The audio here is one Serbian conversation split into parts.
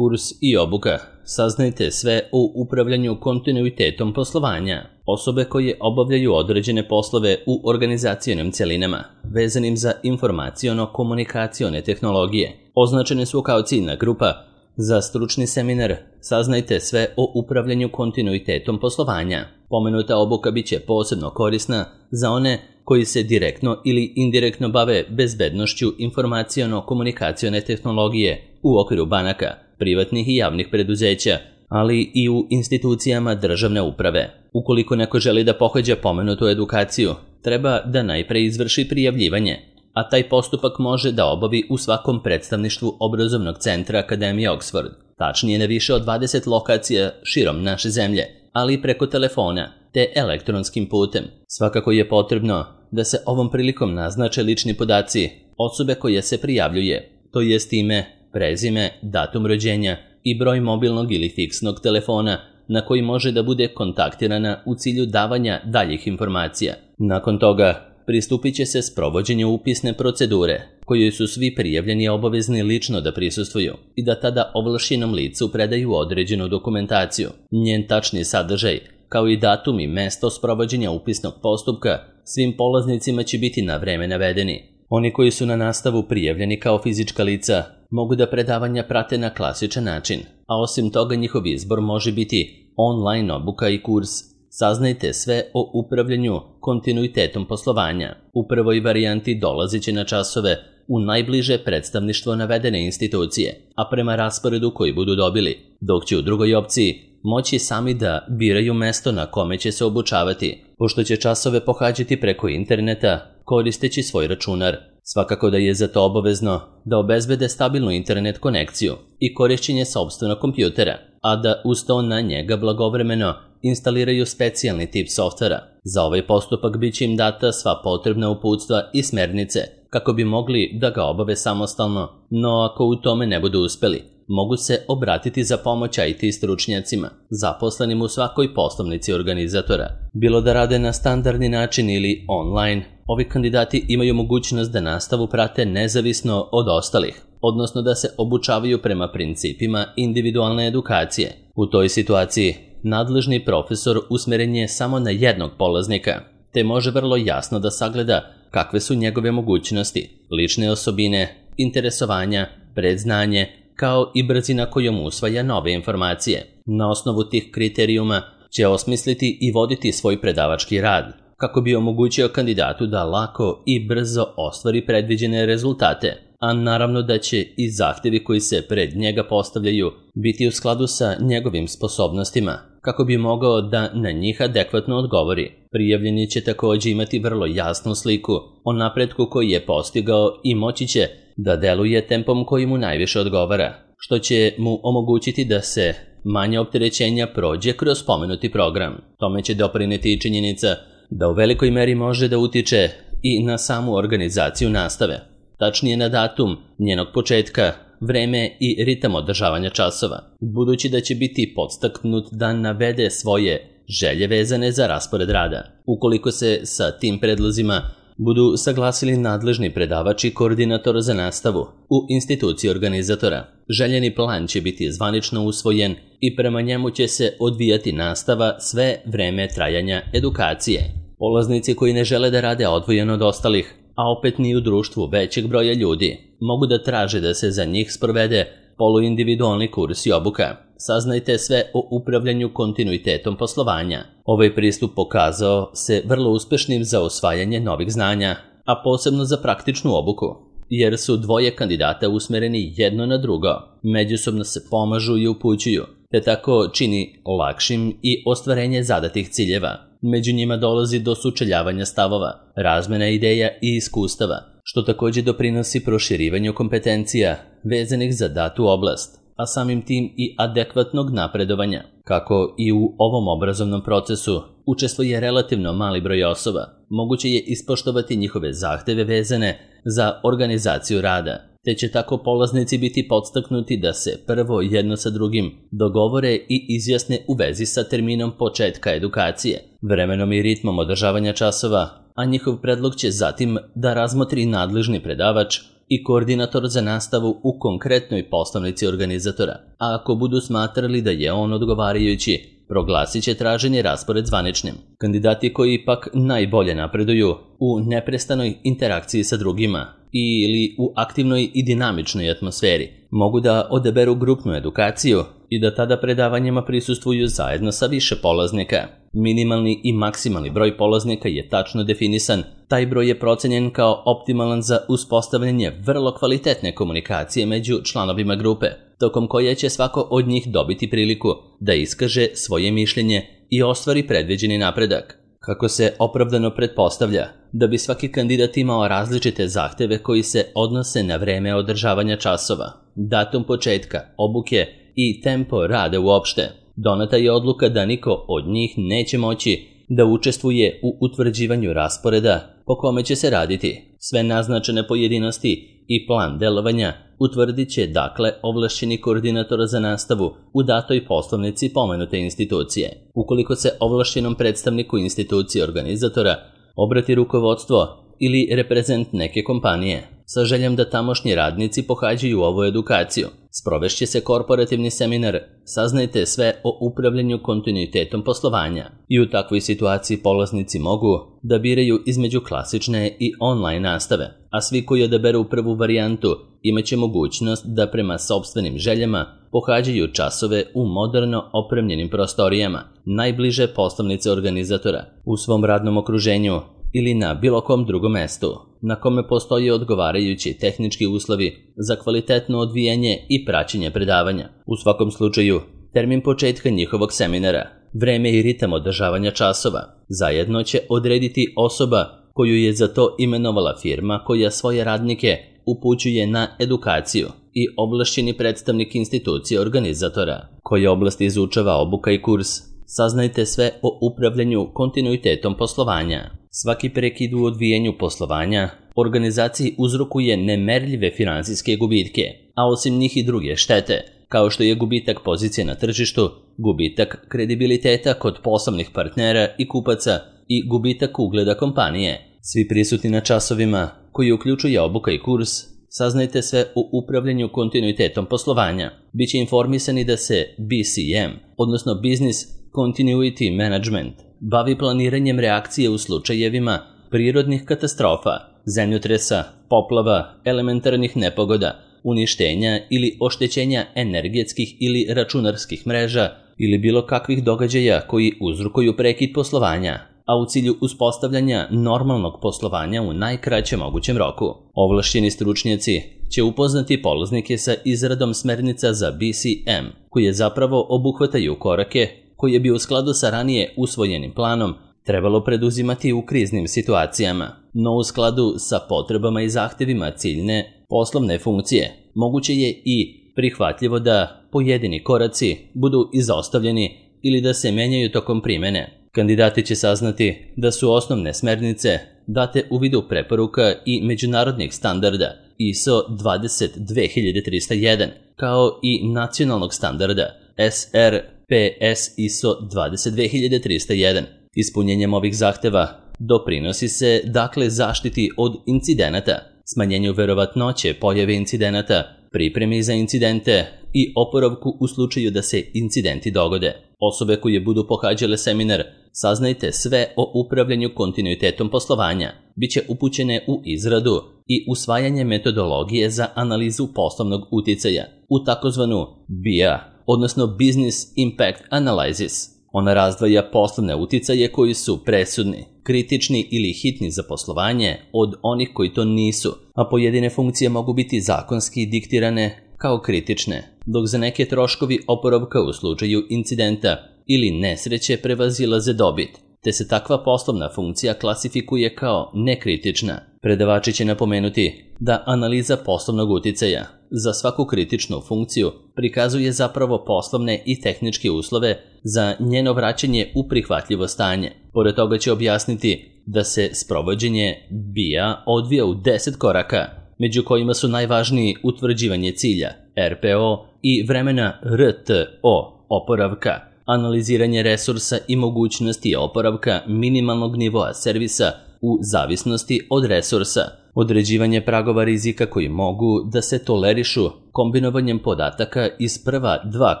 Kurs i obuka. Saznajte sve o upravljanju kontinuitetom poslovanja. Osobe koje obavljaju određene poslove u organizacionim cjelinama, vezanim za informaciono-komunikacione tehnologije, označene su kao ciljna grupa za stručni seminar Saznajte sve o upravljanju kontinuitetom poslovanja. Pomenuta obuka bit će posebno korisna za one koji se direktno ili indirektno bave bezbednošću informaciono-komunikacione tehnologije u okviru banaka, privatnih i javnih preduzeća, ali i u institucijama državne uprave. Ukoliko neko želi da pohađa pomenutu edukaciju, treba da najpre izvrši prijavljivanje, a taj postupak može da obavi u svakom predstavništvu obrazovnog centra Akademije Oxford, tačnije na više od 20 lokacija širom naše zemlje, ali i preko telefona te elektronskim putem. Svakako je potrebno da se ovom prilikom naznače lični podaci osobe koje se prijavljuje, to jest ime, prezime, datum rođenja i broj mobilnog ili fiksnog telefona na koji može da bude kontaktirana u cilju davanja daljih informacija. Nakon toga pristupit će se sprovođenju upisne procedure, kojoj su svi prijavljeni obavezni lično da prisustvuju i da tada ovlašćenom licu predaju određenu dokumentaciju. Njen tačni sadržaj, kao i datum i mesto sprovođenja upisnog postupka, svim polaznicima će biti na vreme navedeni. Oni koji su na nastavu prijavljeni kao fizička lica mogu da predavanja prate na klasičan način, a osim toga njihov izbor može biti online obuka i kurs Saznajte sve o upravljanju kontinuitetom poslovanja. U prvoj varijanti dolazit će na časove u najbliže predstavništvo navedene institucije, a prema rasporedu koji budu dobili, dok će u drugoj opciji moći sami da biraju mesto na kome će se obučavati, pošto će časove pohađati preko interneta koristeći svoj računar. Svakako da je za to obavezno da obezbede stabilnu internet konekciju i korišćenje sopstvenog kompjutera, a da uz to na njega blagovremeno instaliraju specijalni tip softvera. Za ovaj postupak bit će im data sva potrebna uputstva i smernice kako bi mogli da ga obave samostalno, no ako u tome ne budu uspeli, mogu se obratiti za pomoć IT stručnjacima, zaposlenim u svakoj poslovnici organizatora. Bilo da rade na standardni način ili online, ovi kandidati imaju mogućnost da nastavu prate nezavisno od ostalih, odnosno da se obučavaju prema principima individualne edukacije. U toj situaciji nadležni profesor usmeren je samo na jednog polaznika, te može vrlo jasno da sagleda kakve su njegove mogućnosti, lične osobine, interesovanja, predznanje, kao i brzina kojom usvaja nove informacije. Na osnovu tih kriterijuma će osmisliti i voditi svoj predavački rad, kako bi omogućio kandidatu da lako i brzo ostvari predviđene rezultate, a naravno da će i zahtjevi koji se pred njega postavljaju biti u skladu sa njegovim sposobnostima, kako bi mogao da na njih adekvatno odgovori. Prijavljeni će također imati vrlo jasnu sliku o napretku koji je postigao i moći će da deluje tempom koji mu najviše odgovara, što će mu omogućiti da se manje opterećenja prođe kroz spomenuti program. Tome će doprineti i činjenica da u velikoj meri može da utiče i na samu organizaciju nastave, tačnije na datum njenog početka, vreme i ritam održavanja časova, budući da će biti podstaknut da navede svoje želje vezane za raspored rada. Ukoliko se sa tim predlozima budu saglasili nadležni predavač i koordinator za nastavu u instituciji organizatora, željeni plan će biti zvanično usvojen i prema njemu će se odvijati nastava sve vreme trajanja edukacije. Polaznici koji ne žele da rade odvojeno od ostalih, a opet ni u društvu većeg broja ljudi, mogu da traže da se za njih sprovede poluindividualni kurs i obuka. Saznajte sve o upravljanju kontinuitetom poslovanja. Ovaj pristup pokazao se vrlo uspešnim za osvajanje novih znanja, a posebno za praktičnu obuku, jer su dvoje kandidata usmereni jedno na drugo, međusobno se pomažu i upućuju, te tako čini lakšim i ostvarenje zadatih ciljeva. Među njima dolazi do sučeljavanja stavova, razmena ideja i iskustava, što također doprinosi proširivanju kompetencija vezanih za datu oblast, a samim tim i adekvatnog napredovanja. Kako i u ovom obrazovnom procesu učestvuje relativno mali broj osoba, moguće je ispoštovati njihove zahteve vezane za organizaciju rada, te će tako polaznici biti podstaknuti da se prvo jedno sa drugim dogovore i izjasne u vezi sa terminom početka edukacije, vremenom i ritmom održavanja časova, a njihov predlog će zatim da razmotri nadležni predavač i koordinator za nastavu u konkretnoj poslovnici organizatora, a ako budu smatrali da je on odgovarajući, proglasit će traženi raspored zvaničnim. Kandidati koji pak najbolje napreduju u neprestanoj interakciji sa drugima ili u aktivnoj i dinamičnoj atmosferi mogu da odaberu grupnu edukaciju i da tada predavanjima prisustvuju zajedno sa više polaznika. Minimalni i maksimalni broj polaznika je tačno definisan. Taj broj je procenjen kao optimalan za uspostavljanje vrlo kvalitetne komunikacije među članovima grupe, tokom koje će svako od njih dobiti priliku da iskaže svoje mišljenje i ostvari predviđeni napredak. Kako se opravdano pretpostavlja da bi svaki kandidat imao različite zahteve koji se odnose na vreme održavanja časova, datum početka, obuke i tempo rada uopšte, doneta je odluka da niko od njih neće moći da učestvuje u utvrđivanju rasporeda po kome će se raditi. Sve naznačene pojedinosti i plan delovanja utvrdit će dakle ovlašćeni koordinator za nastavu u datoj poslovnici pomenute institucije. Ukoliko se ovlašćenom predstavniku institucije organizatora obrati rukovodstvo ili reprezent neke kompanije sa željom da tamošnji radnici pohađaju ovu edukaciju, sprovešće se korporativni seminar Saznajte sve o upravljanju kontinuitetom poslovanja i u takvoj situaciji polaznici mogu da biraju između klasične i online nastave, a svi koji odaberu prvu varijantu imaće mogućnost da prema sopstvenim željama pohađaju časove u moderno opremljenim prostorijama najbliže poslovnice organizatora u svom radnom okruženju ili na bilo kom drugom mestu na kome postoje odgovarajući tehnički uslovi za kvalitetno odvijanje i praćenje predavanja. U svakom slučaju, termin početka njihovog seminara, vreme i ritam održavanja časova zajedno će odrediti osoba koju je za to imenovala firma koja svoje radnike upućuje na edukaciju i ovlašćeni predstavnik institucije organizatora. Koje oblasti izučava obuka i kurs? Saznajte sve o upravljanju kontinuitetom poslovanja. Svaki prekid u odvijenju poslovanja organizaciji uzrokuje nemerljive finansijske gubitke, a osim njih i druge štete, kao što je gubitak pozicije na tržištu, gubitak kredibiliteta kod poslovnih partnera i kupaca i gubitak ugleda kompanije. Svi prisutni na časovima, koji uključuje obuka i kurs, Saznajte sve o upravljanju kontinuitetom poslovanja. Biće informisani da se BCM, odnosno Business Continuity Management, bavi planiranjem reakcije u slučajevima prirodnih katastrofa, zemljotresa, poplava, elementarnih nepogoda, uništenja ili oštećenja energetskih ili računarskih mreža ili bilo kakvih događaja koji uzrokuju prekid poslovanja, a u cilju uspostavljanja normalnog poslovanja u najkraćem mogućem roku. Ovlašćeni stručnjaci će upoznati polaznike sa izradom smernica za BCM, koje zapravo obuhvataju korake koje bi u skladu sa ranije usvojenim planom trebalo preduzimati u kriznim situacijama, no u skladu sa potrebama i zahtevima ciljne poslovne funkcije. Moguće je i prihvatljivo da pojedini koraci budu izostavljeni ili da se menjaju tokom primene. Kandidati će saznati da su osnovne smernice date u vidu preporuka i međunarodnih standarda ISO 22301, kao i nacionalnog standarda SRPS ISO 22301. Ispunjenjem ovih zahteva doprinosi se dakle zaštiti od incidenata, smanjenju verovatnoće pojave incidenata, pripremi za incidente i oporavku u slučaju da se incidenti dogode. Osobe koje budu pohađale seminar Saznajte sve o upravljanju kontinuitetom poslovanja biće upućene u izradu i usvajanje metodologije za analizu poslovnog uticaja u takozvanu BIA, odnosno Business Impact Analysis. Ona razdvaja poslovne uticaje koji su presudni, kritični ili hitni za poslovanje od onih koji to nisu, a pojedine funkcije mogu biti zakonski diktirane kao kritične, dok za neke troškovi oporavka u slučaju incidenta ili nesreće prevazilaze dobit, te se takva poslovna funkcija klasifikuje kao nekritična. Predavači će napomenuti da analiza poslovnog uticaja za svaku kritičnu funkciju prikazuje zapravo poslovne i tehničke uslove za njeno vraćanje u prihvatljivo stanje. Pored toga će objasniti da se sprovođenje BIA odvija u 10 koraka, među kojima su najvažniji utvrđivanje cilja, RPO, i vremena RTO, oporavka, analiziranje resursa i mogućnosti oporavka minimalnog nivoa servisa u zavisnosti od resursa, određivanje pragova rizika koji mogu da se tolerišu kombinovanjem podataka iz prva 2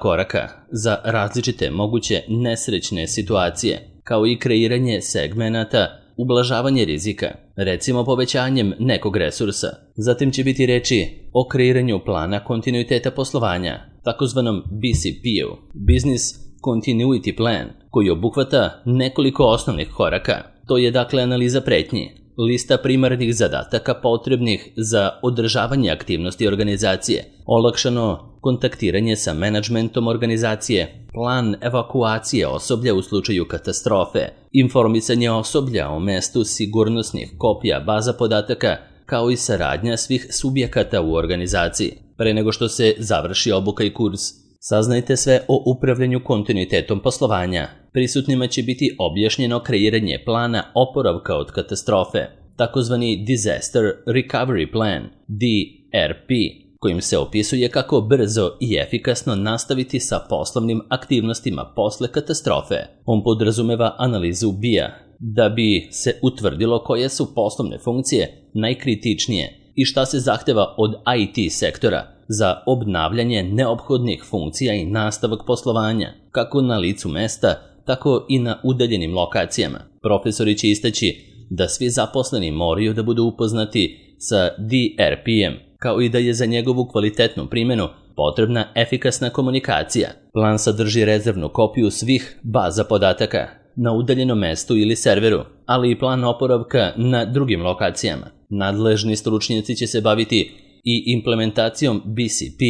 koraka za različite moguće nesrećne situacije, kao i kreiranje segmenata, ublažavanje rizika, recimo povećanjem nekog resursa. Zatim će biti reči o kreiranju plana kontinuiteta poslovanja, takozvanom BCP-u, Business Continuity Plan, koji obuhvata nekoliko osnovnih koraka. To je dakle analiza pretnji, lista primarnih zadataka potrebnih za održavanje aktivnosti organizacije, olakšano kontaktiranje sa menadžmentom organizacije, plan evakuacije osoblja u slučaju katastrofe, informisanje osoblja o mestu sigurnosnih kopija baza podataka, kao i saradnja svih subjekata u organizaciji. Pre nego što se završi obuka i kurs, saznajte sve o upravljanju kontinuitetom poslovanja. Prisutnima će biti objašnjeno kreiranje plana oporavka od katastrofe, takozvani Disaster Recovery Plan, DRP, kojim se opisuje kako brzo i efikasno nastaviti sa poslovnim aktivnostima posle katastrofe. On podrazumeva analizu BIA, da bi se utvrdilo koje su poslovne funkcije najkritičnije i šta se zahteva od IT sektora za obnavljanje neophodnih funkcija i nastavak poslovanja, kako na licu mesta, tako i na udaljenim lokacijama. Profesori će istaći da svi zaposleni moraju da budu upoznati sa DRP-em, kao i da je za njegovu kvalitetnu primjenu potrebna efikasna komunikacija. Plan sadrži rezervnu kopiju svih baza podataka na udaljenom mestu ili serveru, ali i plan oporavka na drugim lokacijama. Nadležni stručnjaci će se baviti i implementacijom BCP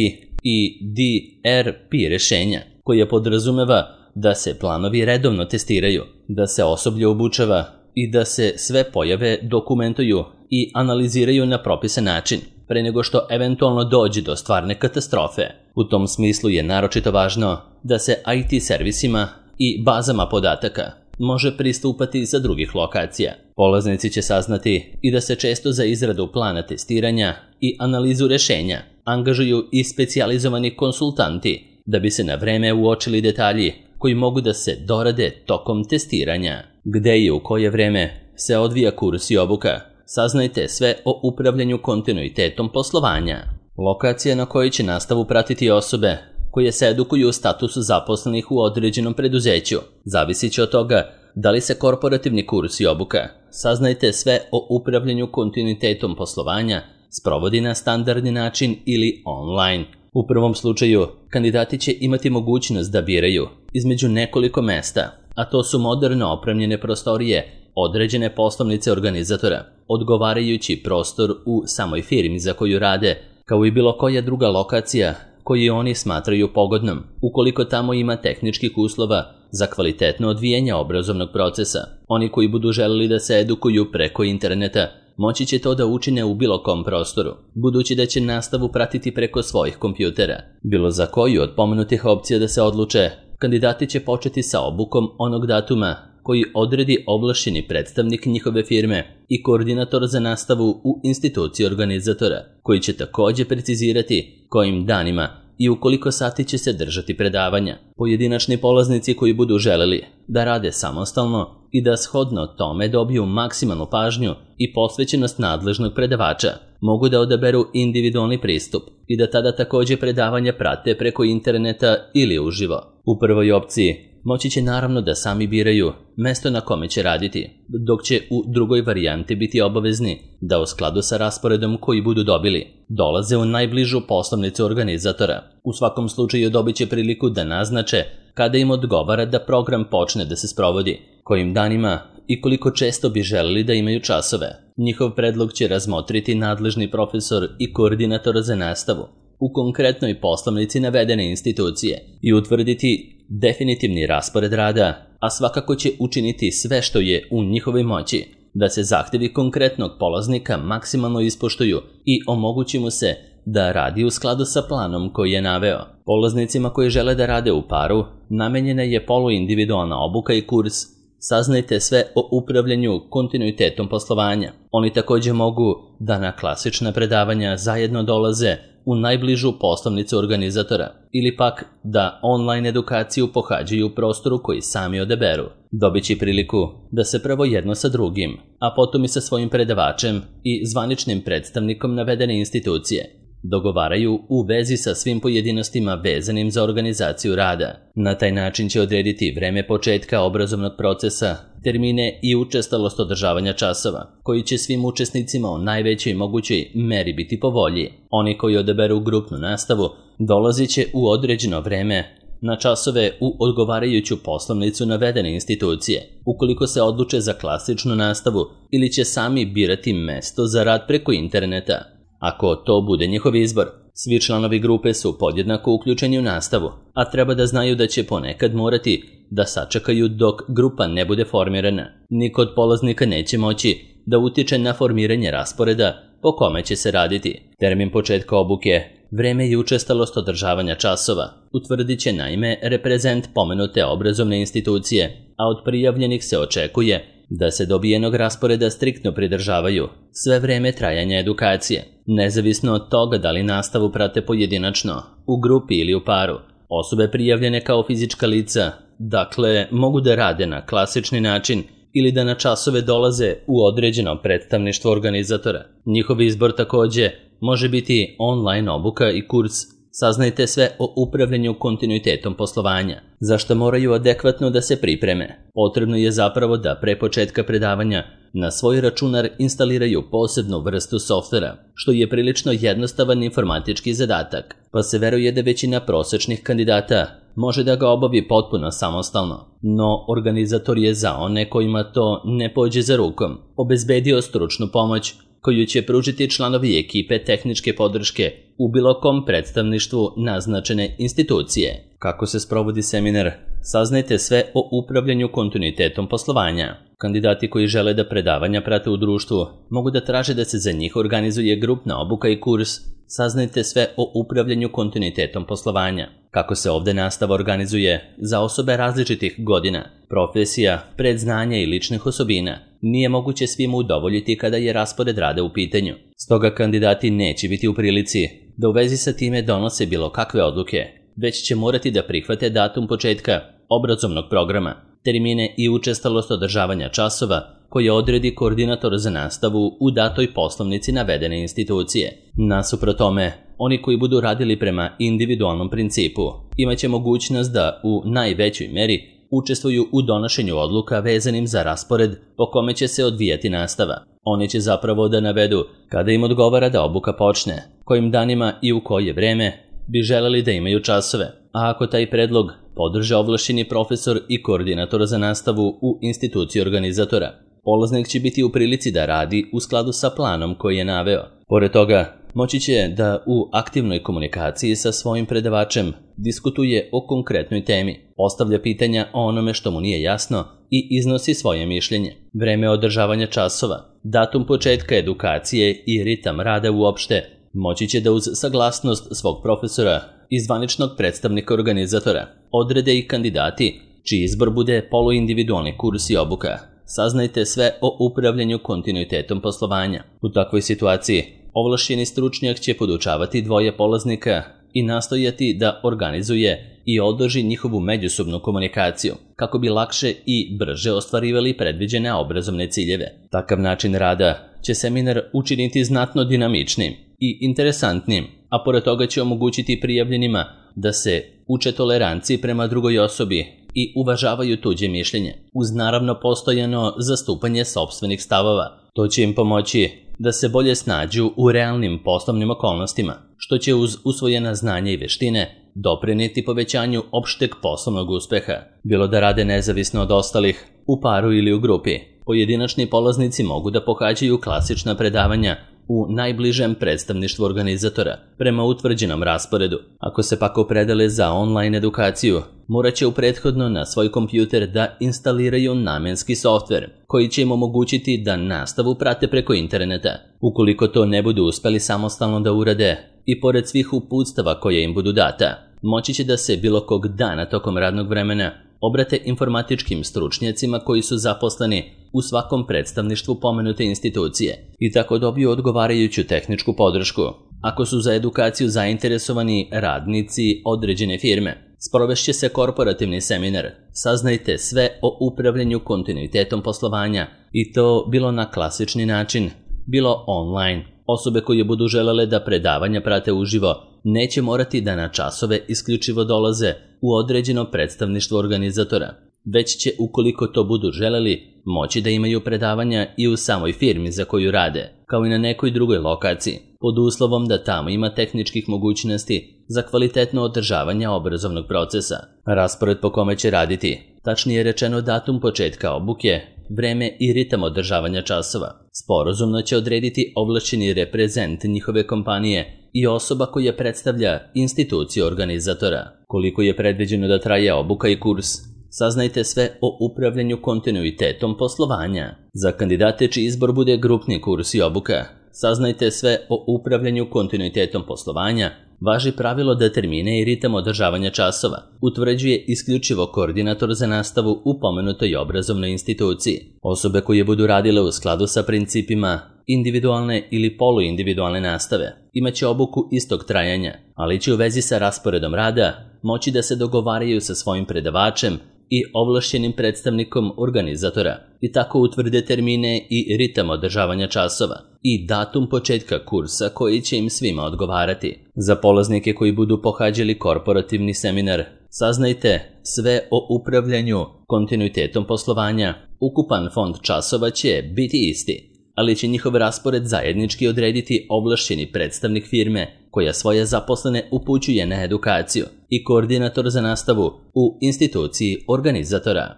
i DRP rešenja, koje podrazumeva da se planovi redovno testiraju, da se osoblje obučava i da se sve pojave dokumentuju i analiziraju na propisan način, pre nego što eventualno dođe do stvarne katastrofe. U tom smislu je naročito važno da se IT servisima i bazama podataka može pristupati sa drugih lokacija. Polaznici će saznati i da se često za izradu plana testiranja i analizu rešenja angažuju i specijalizovani konsultanti da bi se na vreme uočili detalji koji mogu da se dorade tokom testiranja. Gde i u koje vreme se odvija kurs i obuka, saznajte sve o upravljanju kontinuitetom poslovanja. Lokacija na kojoj će nastavu pratiti osobe koje se edukuju u statusu zaposlenih u određenom preduzeću. Zavisit će od toga da li se korporativni kurs i obuka, saznajte sve o upravljanju kontinuitetom poslovanja, sprovodi na standardni način ili online. U prvom slučaju, kandidati će imati mogućnost da biraju između nekoliko mesta, a to su moderno opremljene prostorije, određene poslovnice organizatora, odgovarajući prostor u samoj firmi za koju rade, kao i bilo koja druga lokacija koju oni smatraju pogodnom, ukoliko tamo ima tehničkih uslova za kvalitetno odvijanje obrazovnog procesa. Oni koji budu želeli da se edukuju preko interneta, moći će to da učine u bilo kom prostoru, budući da će nastavu pratiti preko svojih kompjutera. Bilo za koju od pomenutih opcija da se odluče, kandidati će početi sa obukom onog datuma koji odredi ovlašćeni predstavnik njihove firme i koordinator za nastavu u instituciji organizatora, koji će takođe precizirati kojim danima i u koliko sati će se držati predavanja. Pojedinačni polaznici koji budu želeli da rade samostalno i da shodno tome dobiju maksimalnu pažnju i posvećenost nadležnog predavača, mogu da odaberu individualni pristup i da tada takođe predavanja prate preko interneta ili uživo. U prvoj opciji moći će naravno da sami biraju mesto na kome će raditi, dok će u drugoj varijanti biti obavezni da u skladu sa rasporedom koji budu dobili dolaze u najbližu poslovnicu organizatora. U svakom slučaju dobit će priliku da naznače kada im odgovara da program počne da se sprovodi, kojim danima i koliko često bi želeli da imaju časove. Njihov predlog će razmotriti nadležni profesor i koordinator za nastavu u konkretnoj poslovnici navedene institucije i utvrditi definitivni raspored rada, a svakako će učiniti sve što je u njihovoj moći da se zahtevi konkretnog polaznika maksimalno ispoštuju i omogući mu se da radi u skladu sa planom koji je naveo. Polaznicima koji žele da rade u paru namenjena je poluindividualna obuka i kurs. Saznajte sve o upravljanju kontinuitetom poslovanja. Oni takođe mogu da na klasična predavanja zajedno dolaze u najbližu poslovnicu organizatora ili pak da online edukaciju pohađaju u prostoru koji sami odaberu. Dobit će priliku da se prvo jedno sa drugim, a potom i sa svojim predavačem i zvaničnim predstavnikom navedene institucije dogovaraju u vezi sa svim pojedinostima vezanim za organizaciju rada. Na taj način će odrediti vreme početka obrazovnog procesa, termine i učestalost održavanja časova, koji će svim učesnicima u najvećoj mogućoj meri biti po volji. Oni koji odaberu grupnu nastavu dolazit će u određeno vreme na časove u odgovarajuću poslovnicu navedene institucije, ukoliko se odluče za klasičnu nastavu ili će sami birati mesto za rad preko interneta. Ako to bude njihov izbor, svi članovi grupe su podjednako uključeni u nastavu, a treba da znaju da će ponekad morati da sačekaju dok grupa ne bude formirana. Niko od polaznika neće moći da utiče na formiranje rasporeda po kome će se raditi. Termin početka obuke, vreme i učestalost održavanja časova utvrdit će naime reprezent pomenute obrazovne institucije, a od prijavljenih se očekuje da se dobijenog rasporeda striktno pridržavaju sve vreme trajanja edukacije, nezavisno od toga da li nastavu prate pojedinačno, u grupi ili u paru. Osobe prijavljene kao fizička lica, dakle, mogu da rade na klasični način ili da na časove dolaze u određeno predstavništvo organizatora. Njihov izbor takođe može biti online obuka i kurs. Saznajte sve o upravljanju kontinuitetom poslovanja, za što moraju adekvatno da se pripreme. Potrebno je zapravo da pre početka predavanja na svoj računar instaliraju posebnu vrstu softvera, što je prilično jednostavan informatički zadatak, pa se veruje da većina prosečnih kandidata može da ga obavi potpuno samostalno. No, organizator je za one kojima to ne pođe za rukom obezbedio stručnu pomoć koju će pružiti članovi ekipe tehničke podrške u bilo kom predstavništvu naznačene institucije. Kako se sprovodi seminar? Saznajte sve o upravljanju kontinuitetom poslovanja. Kandidati koji žele da predavanja prate u društvu mogu da traže da se za njih organizuje grupna obuka i kurs. Saznajte sve o upravljanju kontinuitetom poslovanja. Kako se ovde nastava organizuje za osobe različitih godina, profesija, predznanja i ličnih osobina. Nije moguće svima udovoljiti kada je raspored rada u pitanju. Stoga kandidati neće biti u prilici da u vezi sa time donose bilo kakve odluke, već će morati da prihvate datum početka obrazovnog programa, termine i učestalost održavanja časova koje odredi koordinator za nastavu u datoj poslovnici navedene institucije. Nasuprot tome, oni koji budu radili prema individualnom principu imaće mogućnost da u najvećoj meri učestvuju u donošenju odluka vezanim za raspored po kome će se odvijati nastava. Oni će zapravo da navedu kada im odgovara da obuka počne, kojim danima i u koje vreme bi želeli da imaju časove, a ako taj predlog podrže ovlašćeni profesor i koordinator za nastavu u instituciji organizatora, polaznik će biti u prilici da radi u skladu sa planom koji je naveo. Pored toga, moći će da u aktivnoj komunikaciji sa svojim predavačem diskutuje o konkretnoj temi, postavlja pitanja o onome što mu nije jasno i iznosi svoje mišljenje. Vreme održavanja časova, datum početka edukacije i ritam rada uopšte moći će da uz saglasnost svog profesora i zvaničnog predstavnika organizatora odrede i kandidati čiji izbor bude poluindividualni kurs i obuka. Saznajte sve o upravljanju kontinuitetom poslovanja. U takvoj situaciji ovlašćeni stručnjak će podučavati dvoje polaznika i nastojati da organizuje i održi njihovu međusobnu komunikaciju, kako bi lakše i brže ostvarivali predviđene obrazovne ciljeve. Takav način rada će seminar učiniti znatno dinamičnim i interesantnim, a pored toga će omogućiti prijavljenima da se uče toleranciji prema drugoj osobi i uvažavaju tuđe mišljenje, uz naravno postojano zastupanje sopstvenih stavova. To će im pomoći da se bolje snađu u realnim poslovnim okolnostima, što će uz usvojena znanja i veštine doprineti povećanju opšteg poslovnog uspeha, bilo da rade nezavisno od ostalih, u paru ili u grupi. Pojedinačni polaznici mogu da pohađaju klasična predavanja u najbližem predstavništvu organizatora prema utvrđenom rasporedu. Ako se pak opredele za online edukaciju, morat će prethodno na svoj kompjuter da instaliraju namenski softver koji će im omogućiti da nastavu prate preko interneta. Ukoliko to ne budu uspeli samostalno da urade, i pored svih uputstava koje im budu data, moći će da se bilo kog dana tokom radnog vremena obrate informatičkim stručnjacima koji su zaposleni u svakom predstavništvu pomenute institucije i tako dobiju odgovarajuću tehničku podršku. Ako su za edukaciju zainteresovani radnici određene firme, sprovešće se korporativni seminar. Saznajte sve o upravljanju kontinuitetom poslovanja i to bilo na klasični način, bilo online. Osobe koje budu želele da predavanja prate uživo neće morati da na časove isključivo dolaze u određeno predstavništvo organizatora, već će, ukoliko to budu želeli, moći da imaju predavanja i u samoj firmi za koju rade, kao i na nekoj drugoj lokaciji, pod uslovom da tamo ima tehničkih mogućnosti za kvalitetno održavanje obrazovnog procesa. Raspored po kome će raditi, tačnije rečeno datum početka obuke, vreme i ritam održavanja časova, sporazumno će odrediti ovlašćeni reprezent njihove kompanije i osoba koja predstavlja instituciju organizatora. Koliko je predviđeno da traje obuka i kurs? Saznajte sve o upravljanju kontinuitetom poslovanja. Za kandidate čiji izbor bude grupni kurs i obuka, saznajte sve o upravljanju kontinuitetom poslovanja. Važi pravilo da termine i ritam održavanja časova utvrđuje isključivo koordinator za nastavu u pomenutoj obrazovnoj instituciji. Osobe koje budu radile u skladu sa principima individualne ili poluindividualne nastave imaće obuku istog trajanja, ali će u vezi sa rasporedom rada moći da se dogovaraju sa svojim predavačem i ovlašćenim predstavnikom organizatora i tako utvrde termine i ritam održavanja časova i datum početka kursa koji će im svima odgovarati. Za polaznike koji budu pohađali korporativni seminar, saznajte sve o upravljanju kontinuitetom poslovanja. Ukupan fond časova će biti isti, ali će njihov raspored zajednički odrediti ovlašćeni predstavnik firme koja svoje zaposlene upućuje na edukaciju i koordinator za nastavu u instituciji organizatora.